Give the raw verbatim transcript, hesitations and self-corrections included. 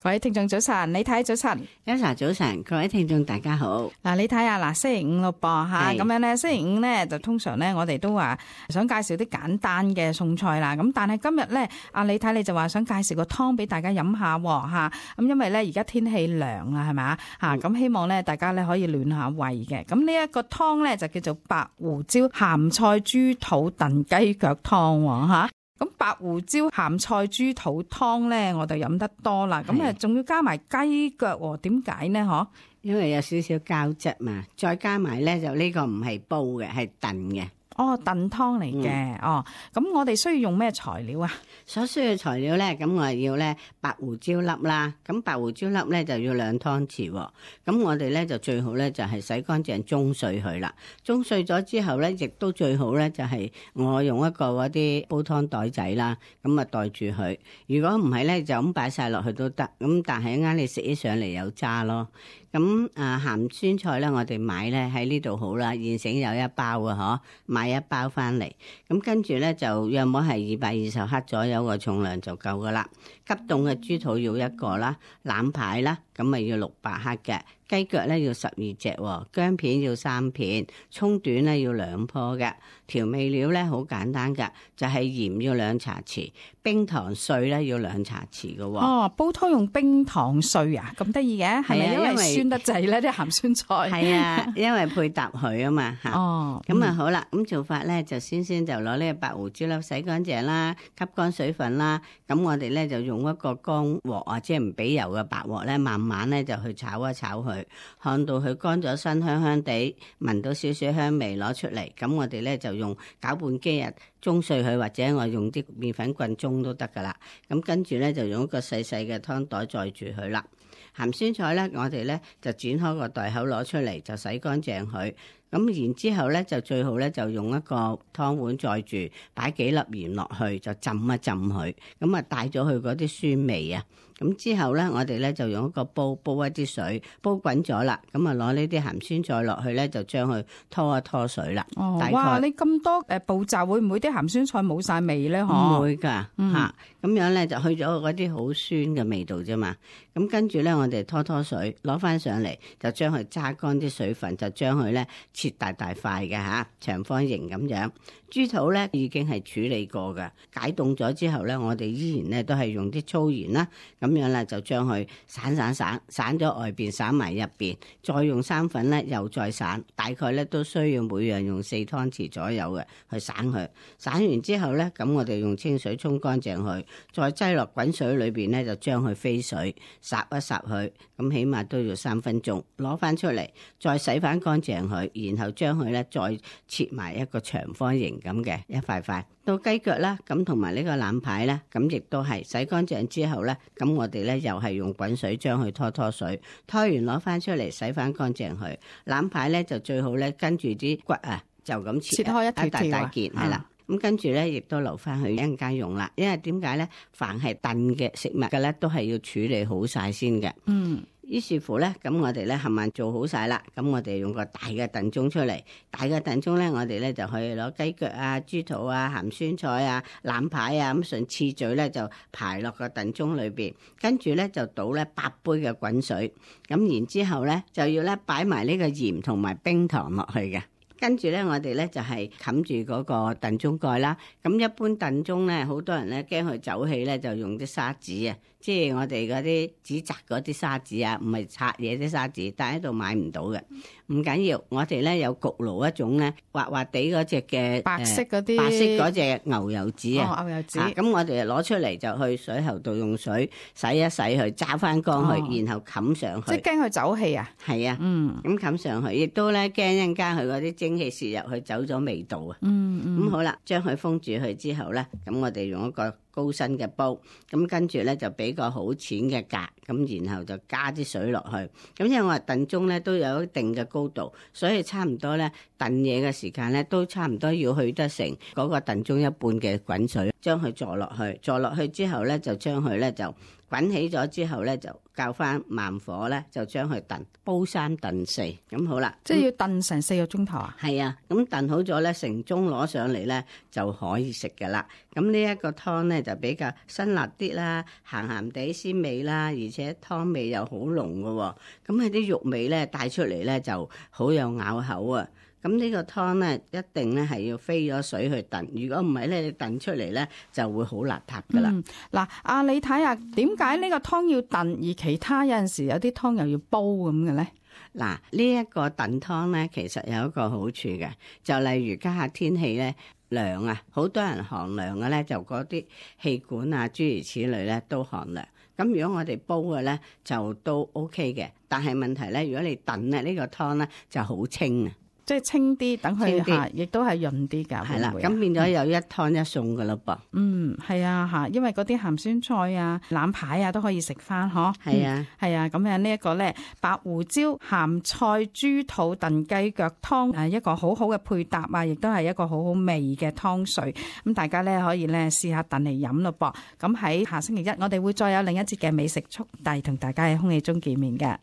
各位聽眾早晨，李太早晨，一晨早晨，各位聽眾大家好。嗱，你睇下嗱，星期五咯噃吓，咁樣咧，星期五咧就通常咧，我哋都話想介紹啲簡單嘅餸菜啦。咁但係今日咧，阿李太你就話想介紹個湯俾大家飲下吓，咁因為咧而家天氣涼啦，係咪啊吓？咁希望咧大家咧可以暖下胃嘅。咁呢一個湯咧就叫做白胡椒鹹菜豬肚燉雞腳湯吓。咁白胡椒鹹菜豬肚湯咧，我就飲得多啦。咁誒，仲要加埋雞腳，點解呢？嗬？因為有少少膠質嘛，再加埋咧就呢個唔係煲嘅，係燉嘅。哦，燉湯嚟嘅。嗯、哦，咁我哋需要用咩材料啊？所需要材料咧，咁我係要咧白胡椒粒啦。咁白胡椒粒咧就要兩湯匙。咁我哋咧就最好咧就係洗乾淨中碎佢啦。中碎咗之後咧，亦都最好咧就係我用一個嗰啲煲湯袋仔啦，咁啊袋住佢。如果唔係咧，就咁擺晒落去都得。咁但係一啱你食起上嚟有渣咯。咁啊鹹酸菜咧，我哋買咧喺呢度好啦，現成有一包嘅嗬，買一包翻嚟。咁跟住咧就約莫係二百二十克左右個重量就夠噶啦。急凍嘅豬肚要一個啦，腩排啦，咁咪要六百克嘅。雞腳咧要十二隻，薑片要三片，蔥短咧要兩棵嘅。調味料咧好簡單噶，就係鹽要兩茶匙，冰糖碎咧要兩茶匙嘅。哦，煲湯用冰糖碎啊，咁得意嘅，係咪因為酸得滯咧啲鹹酸菜？係啊，因為配搭佢啊嘛吓。哦，咁啊好啦，咁做法咧就先先就攞呢個白胡椒粒洗乾淨啦，吸乾水分啦。咁我哋咧就用一個乾鑊啊，即係唔俾油嘅白鑊咧，慢慢咧就去炒一炒佢。看到佢乾咗身，香香地，聞到少少香味，攞出嚟。咁我哋咧就用攪拌機啊，中碎佢，或者我用啲麵粉棍中都得噶啦。咁跟住咧就用一個細細嘅湯袋載住佢啦。鹹酸菜咧，我哋咧就剪開個袋口攞出嚟，就洗乾淨佢。咁然之後咧，就最好咧就用一個湯碗載住，擺幾粒鹽落去，就浸一浸佢。咁啊帶咗佢嗰啲酸味啊。咁之後咧，我哋咧就用一個煲煲一啲水，煲滾咗啦。咁啊攞呢啲鹹酸菜落去咧，就將佢拖一拖水啦。哦，哇！你咁多誒步驟，會唔會啲鹹酸菜冇晒味咧？嗬，唔會㗎嚇。咁、嗯啊、樣咧就去咗嗰啲好酸嘅味道啫嘛。咁跟住咧，我哋拖拖水，攞翻上嚟，就將佢揸乾啲水分，就將佢咧切大大塊嘅嚇，長方形咁樣。豬肚咧已經係處理過嘅，解凍咗之後咧，我哋依然咧都係用啲粗鹽啦，咁樣咧就將佢散散散，散咗外邊，散埋入邊，再用生粉咧又再散，大概咧都需要每樣用四湯匙左右嘅去散佢。散完之後咧，咁我哋用清水沖乾淨佢，再擠落滾水裏邊咧就將佢飛水，霎一霎佢，咁起碼都要三分鐘，攞翻出嚟，再洗翻乾淨佢，然後將佢咧再切埋一個長方形咁嘅一塊塊。到雞腳啦，咁同埋呢個腩排咧，咁亦都係洗乾淨之後咧，咁我哋咧又係用滾水將佢拖拖水，拖完攞翻出嚟洗翻乾淨佢。腩排咧就最好咧跟住啲骨啊，就咁切，切開一條條一大大件係啦。咁跟住咧，亦都留翻去一陣間用啦。因為點解咧？凡係燉嘅食物嘅咧，都係要處理好晒先嘅。嗯。於是乎咧，咁我哋咧冚唪唥做好晒啦。咁我哋用個大嘅燉盅出嚟，大嘅燉盅咧，我哋咧就可以攞雞腳啊、豬肚啊、鹹酸菜啊、腩排啊，咁順次序咧就排落個燉盅裏邊。跟住咧就倒咧八杯嘅滾水。咁然之後咧就要咧擺埋呢個鹽同埋冰糖落去嘅。跟住咧，我哋咧就係冚住嗰個燉盅蓋啦。咁一般燉盅咧，好多人咧驚佢走氣咧，就用啲砂紙啊，即係我哋嗰啲紙紮嗰啲砂紙啊，唔係拆嘢啲砂紙，但係喺度買唔到嘅。唔緊要，我哋咧有焗爐一種咧滑滑地嗰隻嘅白色嗰啲、呃、白色嗰隻牛油紙啊。哦，牛油紙。咁、啊、我哋攞出嚟就去水喉度用水洗一洗佢，揸翻乾佢，哦、然後冚上去。即係驚佢走氣啊？係啊。嗯。咁冚上去，亦都咧驚一陣間佢嗰啲蒸氣泄入去，走咗味道啊。嗯嗯。咁好啦，將佢封住佢之後咧，咁我哋用一個高身嘅煲，咁跟住咧就俾個好淺嘅格，咁然後就加啲水落去。咁因為我話燉盅咧都有一定嘅高度，所以差唔多咧燉嘢嘅時間咧都差唔多要去得成嗰個燉盅一半嘅滾水。將佢坐落去，坐落去之後咧就將佢咧就滾起咗之後咧就較翻慢火咧就將佢燉煲三燉四咁好啦。即係要燉成四個鐘頭啊？係啊，咁燉好咗咧，成盅攞上嚟咧就可以食噶啦。咁呢一個湯咧就比較辛辣啲啦，鹹鹹地鮮味啦，而且湯味又好濃噶喎。咁喺啲肉味咧帶出嚟咧就好有咬口啊！咁呢個湯咧一定咧係要飛咗水去燉，如果唔係咧，你燉出嚟咧就會好邋遢噶啦。嗱、嗯，阿你睇下點解呢個湯要燉，而其他有陣時有啲湯又要煲咁嘅咧？嗱，呢一個燉湯咧，其實有一個好處嘅，就例如家下天氣咧涼啊，好多人寒涼嘅咧，就嗰啲氣管啊諸如此類咧都寒涼。咁如果我哋煲嘅咧就都 OK 嘅，但係問題咧，如果你燉咧呢個湯咧就好清啊。即係清啲，等佢嚇，亦都係潤啲㗎。係啦，咁變咗有一湯一餸㗎咯噃。嗯，係啊嚇，因為嗰啲鹹酸菜啊、腩排啊都可以食翻，嗬。係啊，係啊，咁樣呢一個咧白胡椒鹹菜豬肚燉雞腳湯，誒一個好好嘅配搭啊，亦都係一個好好味嘅湯水。咁大家咧可以咧試下燉嚟飲咯噃。咁喺下星期一，我哋會再有另一節嘅美食速遞同大家喺空氣中見面嘅。